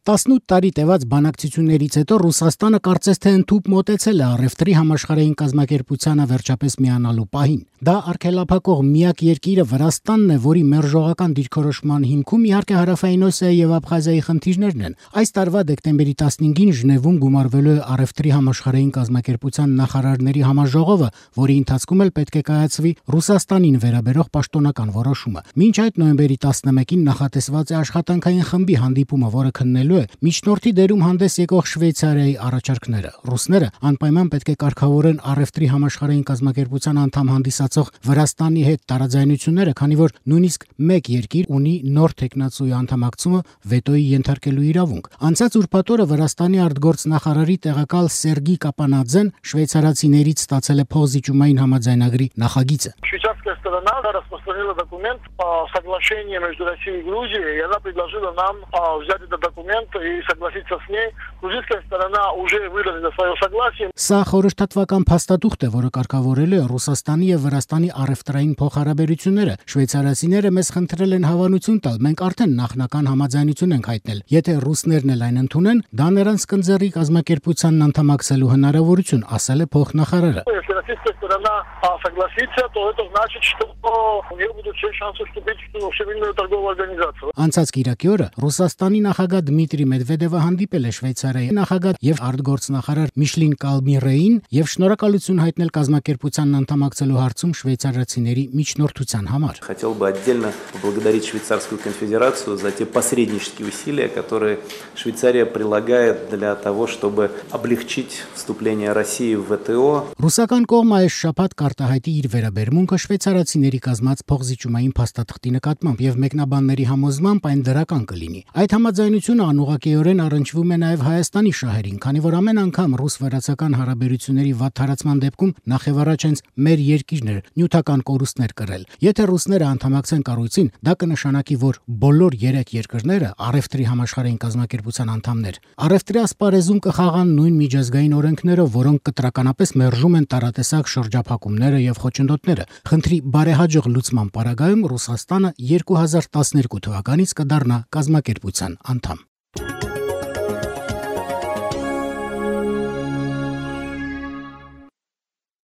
18 տարի տևած բանակցություններից հետո Ռուսաստանը կարծես թե ընդհուպ մոտեցել է առևտրի համաշխարհային կազմակերպությանը վերջապես միանալու պահին։ Դա արգելափակող միակ երկիրը Վրաստանն է, որի մերժողական դիրքորոշման հիմքում իհարկե Հարավային Օսիայի եւ Աբխազիայի խնդիրներն են։ Այս տարվա դեկտեմբերի 15-ին Ժնևում գումարվելու է առևտրի համաշխարհային կազմակերպության նախարարների համաժողովը, որի ընթացքում էլ պետք է կայացվի Ռուսաստանին վերաբերող պաշտոնական որոշումը։ Մինչ այդ նոյեմբերի 11-ին նախատեսված է աշխատանքային խմբի հանդիպումը, որը քննելու միջնորդի դերում հանդես եկող Շվեյցարիայի առաջարկները։ Ռուսները անպայման պետք է կարգավորեն առևտրի համաշխարհային կազմակերպության անդամ հանդիսացող Վրաստանի հետ տարաձայնությունները, քանի որ նույնիսկ մեկ երկիր ունի նոր թեկնածուի անդամակցումը վետոյի ենթարկելու իրավունք։ Անցած ուրբաթ օրը Վրաստանի արտգործնախարարի տեղակալ Սերգի Կապանաձեն շվեյցարացիներից ստացել է փոխզիջումային համաձայնագրի նախագիծը։ Швейцарская сторона распространила документ по соглашению между Россией и Грузией, и она предложила нам взять этот документ и согласиться с ней. Грузинская сторона уже выразила свое согласие. Սա խորհրդատվական փաստաթուղթ է, որը կարգավորելու է Ռուսաստանի եւ Վրաստանի առևտրային փոխհարաբերությունները։ Շվեյցարացիները մեզ խնդրել են հավանություն տալ, մենք արդեն նախնական համաձայնություն ենք հայտնել։ Եթե ռուսներն էլ այն ընդունեն, դա նրանց կընձեռի կազմակերպությանն անդամակցելու հնարավորություն, ասել է փոխնախարարը։ Если российская сторона согласится, то это значит, что у нее будут все шансы вступить в Всемирную торговую организацию. Անցած կիրակի օրը Ռուսաստանի նախագահ Դմիտրի Մեդվեդևը հանդիպել է Շվեյցարիայի նախագահ եւ արտգործնախարար Միշլին Կալմիրեին եւ շնորհակալություն հայտնել կազմակերպությանն անդամակցելու հարցում շվեյցարացիների միջնորդության համար։ Хотел бы отдельно поблагодарить Швейцарскую конфедерацию за те посреднические усилия, которые Швейцария прилагает для того, чтобы облегчить вступление России в ВТО. Ռուսական կողմը այս շաբաթ կարտահայտի իր վերաբերմունքը շվեյցարացիների կազմած փոխզիջումային փաստաթղթի նկատմամբ եւ մեկնաբանների համոզմամբ այն դրական կլինի։ Այդ համաձայնությունը անուղղակիորեն առնչվում է նաեւ Հայաստանի շահերին, քանի որ ամեն անգամ ռուս-վրացական հարաբերությունների վատ հարացման դեպքում նախևառաջ հենց մեր երկիրն էր նյութական կորուստներ կրել։ Եթե ռուսները անդամակցեն կառույցին, դա կնշանակի, որ բոլոր 3 երկրները առևտրի համաշխարհային կազմակերպության անդամներ առևտրի ասպարեզում կխաղան նույն միջազգային օրենքներով, որոնք կտրականապես մերժում են տարատեսակ շրջափակումները եւ խոչընդոտները։ Խնդրի բարեհաջող լուծման պարագայում Ռուսաստանը 2012 թվականից կդառնա կազմակերպության անդամ։